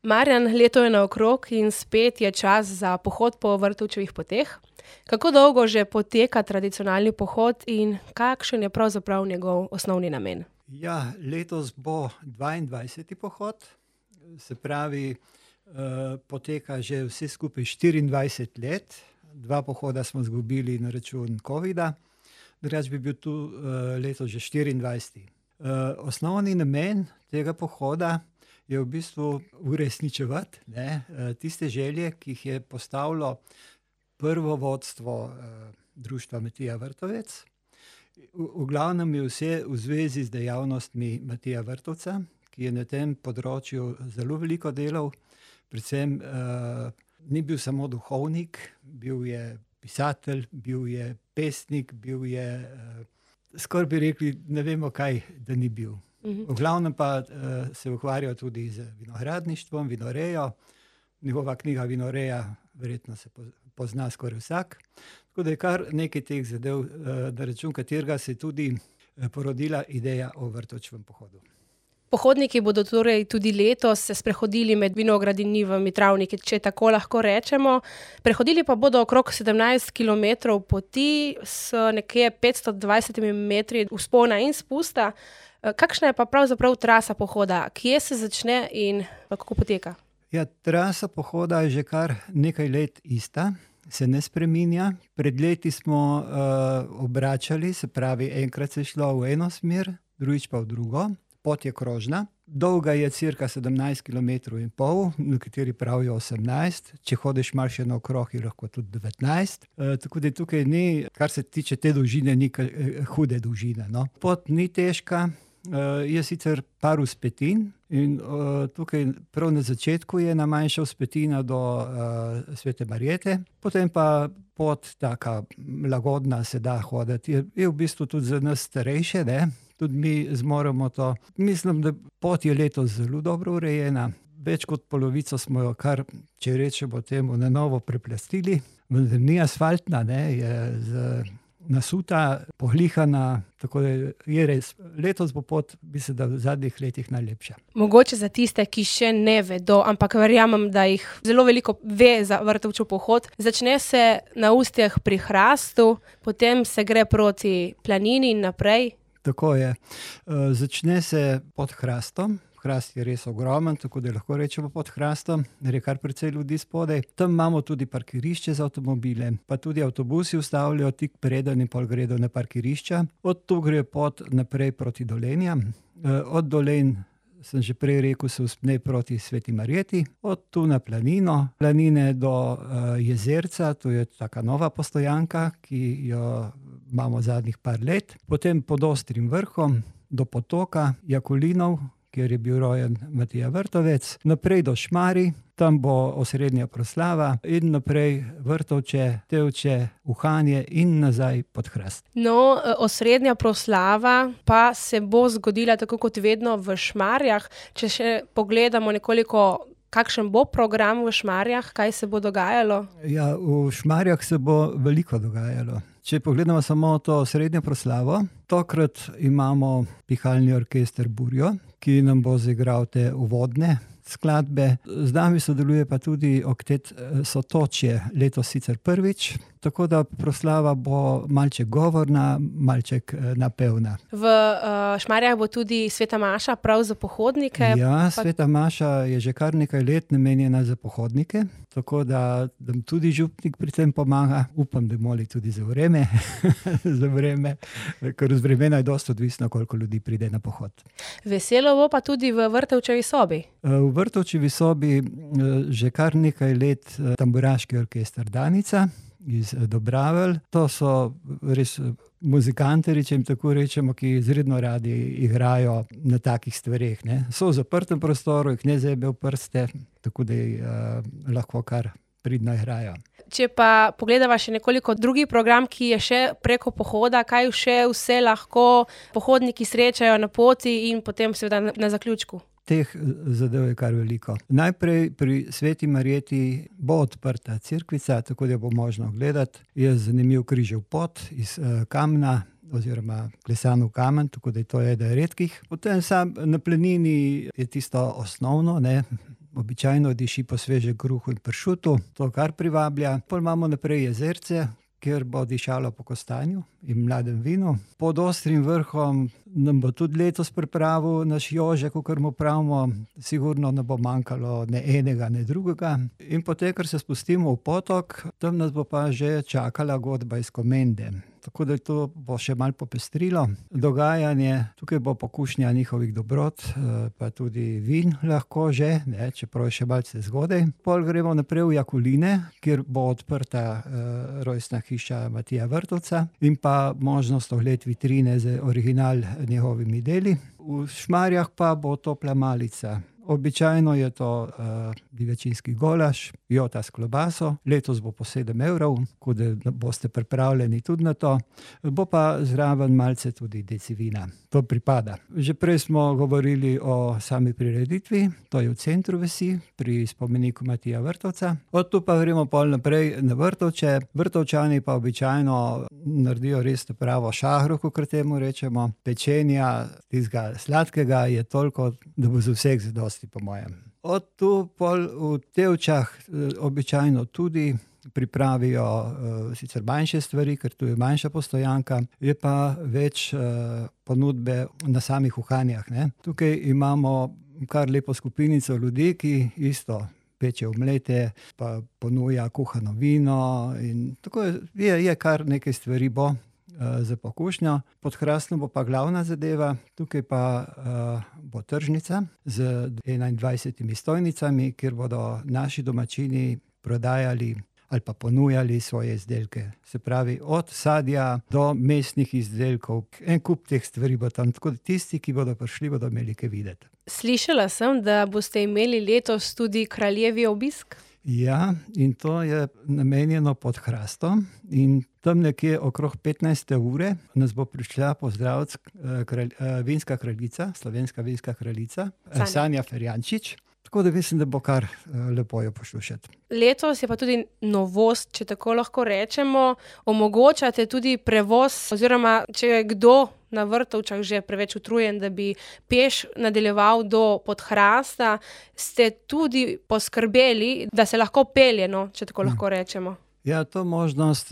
Marjan, leto je naokrog in spet je čas za pohod po Vrtovčevih poteh. Kako dolgo že poteka tradicionalni pohod in kakšen je pravzaprav njegov osnovni namen? Ja, letos bo 22. pohod, se pravi, poteka že vse skupaj 24 let. 2 pohoda smo izgubili na račun covida, drugače bi bil tu, letos že 24. Osnovni namen tega pohoda je v bistvu uresničevati, tiste želje, ki jih je postavilo prvo vodstvo, društva Matija Vrtovec. V glavnem je vse v zvezi z dejavnostmi Matija Vrtovca, ki je na tem področju zelo veliko delal. Predvsem, ni bil samo duhovnik, bil je pisatelj, bil je pesnik, bil je, skoraj bi rekli, ne vemo kaj, da ni bil. V glavnem pa, se ukvarjal tudi z vinogradništvom, vinorejo. Njegova knjiga Vinoreja verjetno se pozna skoraj vsak. Tako da je kar nekaj teh zadev, na račun katerega se je tudi, porodila ideja o Vrtovčevem pohodu. Pohodniki bodo torej tudi letos se sprehodili med vinogradini v Mitravniki, če tako lahko rečemo. Prehodili pa bodo okrog 17 kilometrov poti s nekje 520 metri vzpona in spusta. Kakšna je pa pravzaprav trasa pohoda? Kje se začne in kako poteka? Ja, trasa pohoda je že kar nekaj let ista, se ne spreminja. Pred leti smo, obračali, se pravi, enkrat se je šlo v eno smer, drugič pa v drugo. Pot je krožna, dolga je cirka 17 kilometrov in pol, nekateri pravijo 18. Če hodiš malo še naokrog, je lahko tudi 19. Tako da tukaj ni, kar se tiče te dolžine, ni hude dolžine, no. Pot ni težka, je sicer par vzpetin in, tukaj prav na začetku je ena manjša vzpetina do, Svete Marjete, potem pa pot taka lagodna, se da hoditi. Je v bistvu tudi za nas starejše, tudi mi zmoremo to. Mislim, da pot je letos zelo dobro urejena. Več kot polovico smo jo kar, če rečemo temu, na novo preplastili. Vendar ni asfaltna, je nasuta, pohlihana, tako da je res. Letos bo pot, mislim, da v zadnjih letih najlepša. Mogoče za tiste, ki še ne vedo, ampak verjamem, da jih zelo veliko ve za Vrtovčev pohod. Začne se na Ustjah pri Hrastu, potem se gre proti Planini in naprej. Tako je. Začne se pod Hrastom. Hrast je res ogromen, tako da lahko rečemo pod Hrastom, je kar precej ljudi spodaj. Tam imamo tudi parkirišče za avtomobile, pa tudi avtobusi ustavljajo tik preden in pol gredo na parkirišča. Od tu gre pot naprej proti Dolenjam. Od Dolenj, sem že prej rekel, se vzpne proti Sveti Marjeti, od tu na Planino, Planine do, Jezerca, to je taka nova postojanka, ki jo imamo zadnjih par let. Potem pod Ostrim vrhom do potoka Jakolinov, kjer je bil rojen Matija Vrtovec, naprej do Šmarij, tam bo osrednja proslava in naprej Vrtovče, Tevče, Uhanje in nazaj pod Hrast. No, osrednja proslava pa se bo zgodila tako kot vedno v Šmarjah. Če še pogledamo nekoliko, kakšen bo program v Šmarjah, kaj se bo dogajalo? Ja, v Šmarjah se bo veliko dogajalo. Če pogledamo samo to osrednjo proslavo, tokrat imamo pihalni orkester Burjo, ki nam bo zaigral te uvodne skladbe. Z nami sodeluje pa tudi oktet Sotočje, letos sicer prvič, tako da proslava bo malček govorna, malček, napevna. V, Šmarjah bo tudi sveta maša prav za pohodnike. Ja, sveta maša je že kar nekaj let namenjena za pohodnike, tako da nam tudi župnik pri tem pomaga. Upam, da moli tudi za vreme, ker od vremena je dosti odvisno, koliko ljudi pride na pohod. Veselo bo pa tudi v Vrtovčevi sobi. V Vrtovčevi sobi, že kar nekaj let, tamburaški orkester Danica iz Dobravelj. To so res muzikantarji, če jim tako rečemo, ki izredno radi igrajo na takih stvareh, So v zaprtem prostoru, jih ne zebe v prste, tako da, lahko kar pridno igrajo. Če pa pogledava še nekoliko drugi program, ki je še preko pohoda, kaj še vse lahko pohodniki srečajo na poti in potem seveda na zaključku? Teh zadev je kar veliko. Najprej pri Sveti Marjeti bo odprta cerkvica, tako da bo možno gledati. Je zanimiv križev pot iz, kamna oziroma klesan v kamen, tako da to je eden redkih. Potem sam na Planini je tisto osnovno, običajno diši po svežem kruhu in pršutu, to kar privablja. Potem imamo naprej jezerce, kjer bo dišalo po kostanju in mladem vinu. Pod Ostrim vrhom nam bo tudi letos pripravil naš Jože, kakor mu pravimo, sigurno ne bo manjkalo ne enega, ne drugega. In potem, ker se spustimo v potok, tam nas bo pa že čakala godba iz Komende. Tako da to bo še malo popestrilo dogajanje. Tukaj bo pokušnja njihovih dobrot, pa tudi vin lahko že, ne, čeprav je še malce zgodaj. Pol gremo naprej v Jakuline, kjer bo odprta rojstna hiša Matija Vrtovca in pa možnost ogled vitrine z original njegovimi deli. V Šmarjah pa bo topla malica. Običajno je to divjačinski golaž, jota s klobaso, letos bo po 7 €, tako da boste pripravljeni tudi na to. Bo pa zraven malce tudi deci vina. To pripada. Že prej smo govorili o sami prireditvi, to je v centru vasi, pri spomeniku Matija Vrtovca. Od tu pa gremo pol naprej na Vrtovče. Vrtovčani pa običajno naredijo res pravo šahro, kakor temu rečemo. Pečenja, tistega sladkega je toliko, da bo za vseh zadosti, po mojem. Od tu pol v Tevčah običajno tudi pripravijo sicer manjše stvari, ker tu je manjša postojanka, je pa več ponudbe na samih uhanjah, ne. Tukaj imamo kar lepo skupinico ljudi, ki isto peče omlete, pa ponuja kuhano vino in tako je kar nekaj stvari bo za pokušnjo. Pod Hrastnom bo pa glavna zadeva, tukaj pa bo tržnica z 21 stojnicami, kjer bodo naši domačini prodajali ali pa ponujali svoje izdelke. Se pravi, od sadja do mesnih izdelkov. En kup teh stvari bo tam, tako da tisti, ki bodo prišli, bodo imeli kaj videti. Slišala sem, da boste imeli letos tudi kraljevi obisk. Ja, in to je namenjeno Pod Hrastom in tam nekje okrog 15. ure nas bo prišla pozdraviti vinska kraljica, slovenska vinska kraljica, Sanja Ferjančič. Tako da mislim, da bo kar lepo jo poslušati. Letos je pa tudi novost, če tako lahko rečemo, omogočate tudi prevoz, oziroma če je kdo na Vrtovčah že preveč utrujen, da bi peš nadaljeval do Podhrasta, ste tudi poskrbeli, da se lahko pelje, no, če tako lahko rečemo. Ja, to možnost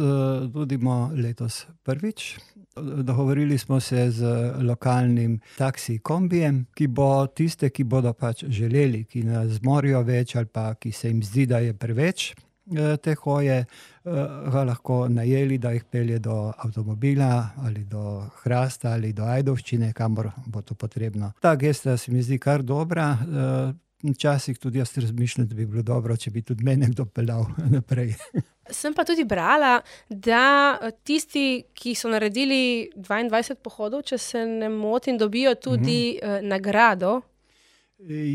nudimo letos prvič. Dogovorili smo se z lokalnim taksi kombijem, ki bo tiste, ki bodo pač želeli, ki ne zmorejo več ali pa ki se jim zdi, da je preveč te hoje, ga lahko najeli, da jih pelje do avtomobila ali do Hrasta ali do Ajdovščine, kamor bo to potrebno. Ta gesta se mi zdi kar dobra. Včasih tudi jaz razmišljam, da bi bilo dobro, če bi tudi mene kdo peljal naprej. Sem pa tudi brala, da tisti, ki so naredili 22 pohodov, če se ne motim, dobijo tudi nagrado.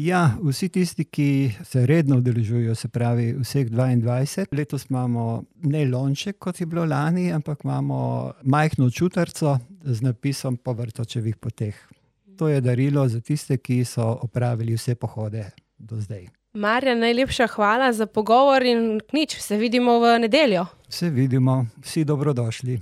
Ja, vsi tisti, ki se redno udeležujejo, se pravi vseh 22. Letos imamo ne lonček, kot je bilo lani, ampak imamo majhno čutarco z napisom Po Vrtovčevih poteh. To je darilo za tiste, ki so opravili vse pohode do zdaj. Marjan, najlepša hvala za pogovor in nič, se vidimo v nedeljo. Se vidimo, vsi dobrodošli.